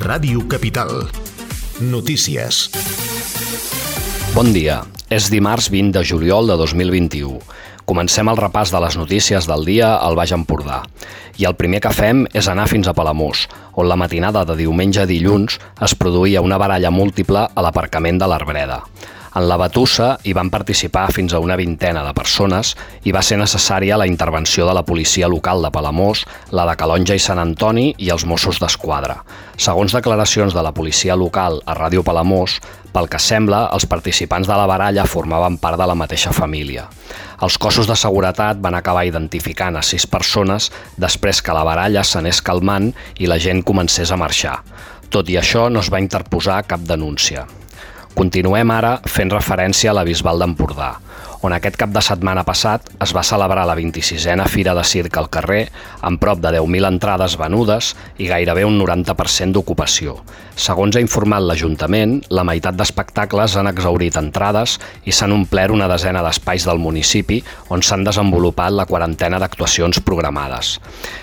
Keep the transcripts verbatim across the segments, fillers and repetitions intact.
Ràdio Capital. Notícies. Bon dia. És dimarts vint de juliol de dos mil vint-i-u. Comencem el repàs de les notícies del dia al Baix Empordà. I el primer que fem és anar fins a Palamós, on la matinada de diumenge a dilluns es produïa una baralla múltiple a l'aparcament de l'Arbreda. En la batussa hi van participar fins a una vintena de persones i va ser necessària la intervenció de la policia local de Palamós, la de Calonge i Sant Antoni i els Mossos d'Esquadra. Segons declaracions de la policia local a Ràdio Palamós, pel que sembla, els participants de la baralla formaven part de la mateixa família. Els cossos de seguretat van acabar identificant a sis persones després que la baralla s'anés calmant i la gent comencés a marxar. Tot i això, no es va interposar cap denúncia. Continuem ara fent referència a la Bisbal d'Empordà, on aquest cap de setmana passat es va celebrar la vint-i-sisena Fira de Circ al carrer, amb prop de deu mil entrades venudes i gairebé un noranta per cent d'ocupació. Segons ha informat l'Ajuntament, la meitat d'espectacles han exhaurit entrades i s'han omplert una desena d'espais del municipi on s'han desenvolupat la quarantena d'actuacions programades.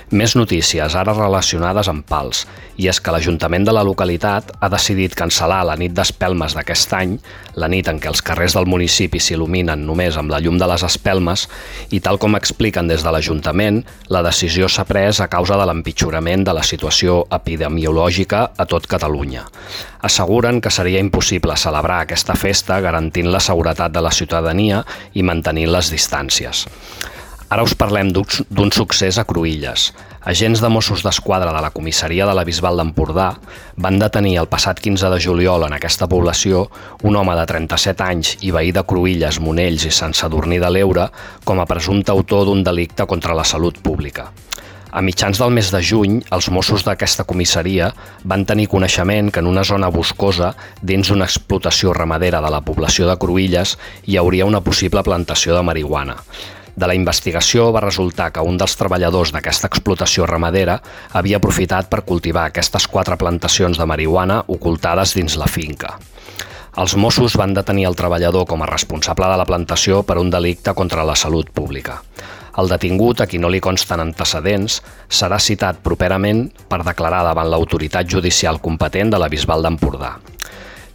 Més notícies, ara relacionades amb pals, i és que l'Ajuntament de la localitat ha decidit cancel·lar la nit d'espelmes d'aquest any, la nit en què els carrers del municipi s'il·luminen només amb la llum de les espelmes, i tal com expliquen des de l'Ajuntament, la decisió s'ha pres a causa de l'empitjorament de la situació epidemiològica a tot Catalunya. Asseguren que seria impossible celebrar aquesta festa garantint la seguretat de la ciutadania i mantenint les distàncies. Ara us parlem d'un succés a Cruïlles. Agents de Mossos d'Esquadra de la comissaria de la Bisbal d'Empordà van detenir el passat quinze de juliol en aquesta població un home de trenta-set anys i veí de Cruïlles, Monells i Sant Sadurní de l'Eure com a presumpte autor d'un delicte contra la salut pública. A mitjans del mes de juny, els Mossos d'aquesta comissaria van tenir coneixement que en una zona boscosa, dins una explotació ramadera de la població de Cruïlles, hi hauria una possible plantació de marihuana. De la investigació va resultar que un dels treballadors d'aquesta explotació ramadera havia aprofitat per cultivar aquestes quatre plantacions de marihuana ocultades dins la finca. Els Mossos van detenir el treballador com a responsable de la plantació per un delicte contra la salut pública. El detingut, a qui no li consten antecedents, serà citat properament per declarar davant l'autoritat judicial competent de la Bisbal d'Empordà.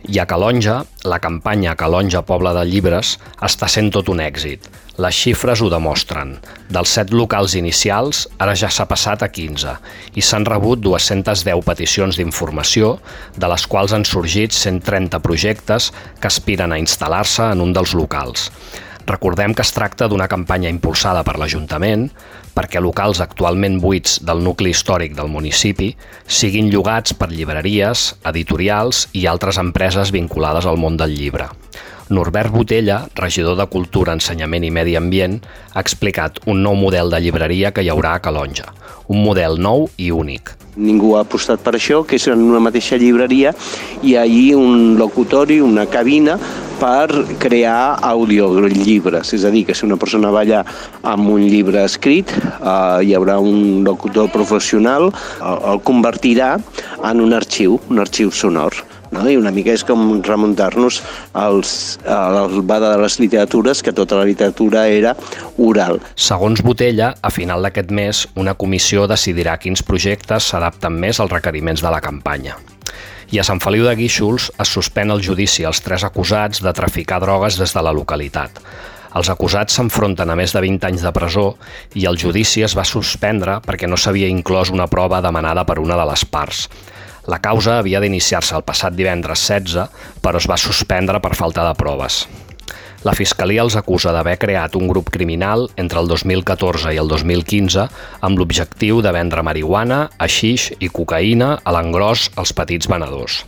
I a Calonge, la campanya Calonge Poble de Llibres està sent tot un èxit. Les xifres ho demostren. Dels set locals inicials, ara ja s'ha passat a quinze i s'han rebut dues-centes deu peticions d'informació, de les quals han sorgit cent trenta projectes que aspiren a instal·lar-se en un dels locals. Recordem que es tracta d'una campanya impulsada per l'Ajuntament perquè locals actualment buits del nucli històric del municipi siguin llogats per llibreries, editorials i altres empreses vinculades al món del llibre. Norbert Botella, regidor de Cultura, Ensenyament i Medi Ambient, ha explicat un nou model de llibreria que hi haurà a Calonge. Un model nou i únic. Ningú ha apostat per això, que és en una mateixa llibreria hi ha allí un locutori, una cabina per crear audiollibres. És a dir, que si una persona va allà amb un llibre escrit, eh, hi haurà un locutor professional, el, el convertirà en un arxiu, un arxiu sonor. No? I una mica és com remuntar-nos als, al bada de les literatures, que tota la literatura era oral. Segons Botella, a final d'aquest mes, una comissió decidirà quins projectes s'adapten més als requeriments de la campanya. I a Sant Feliu de Guíxols es suspèn el judici als tres acusats de traficar drogues des de la localitat. Els acusats s'enfronten a més de vint anys de presó i el judici es va suspendre perquè no s'havia inclòs una prova demanada per una de les parts. La causa havia d'iniciar-se el passat divendres setze, però es va suspendre per falta de proves. La Fiscalia els acusa d'haver creat un grup criminal entre el dos mil catorze i el dos mil quinze amb l'objectiu de vendre marihuana, haixix i cocaïna a l'engròs als petits venedors.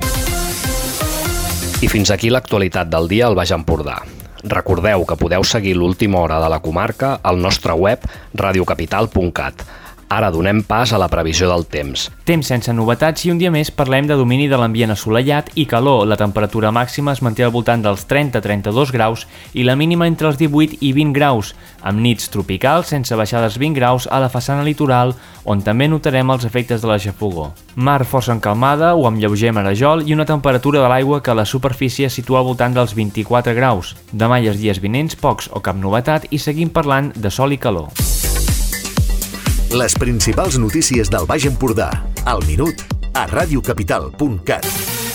I fins aquí l'actualitat del dia al Baix Empordà. Recordeu que podeu seguir l'última hora de la comarca al nostre web radio capital punt cat. Ara donem pas a la previsió del temps. Temps sense novetats i un dia més parlem de domini de l'ambient assolellat i calor. La temperatura màxima es manté al voltant dels trenta a trenta-dos graus i la mínima entre els divuit i vint graus, amb nits tropicals sense baixar dels vint graus a la façana litoral, on també notarem els efectes de la xafogor. Mar força encalmada o amb lleuger marejol i una temperatura de l'aigua que a la superfície situa al voltant dels vint-i-quatre graus. Demà i els dies vinents pocs o cap novetat i seguim parlant de sol i calor. Les principals notícies del Baix Empordà, al minut, a radiocapital punt cat.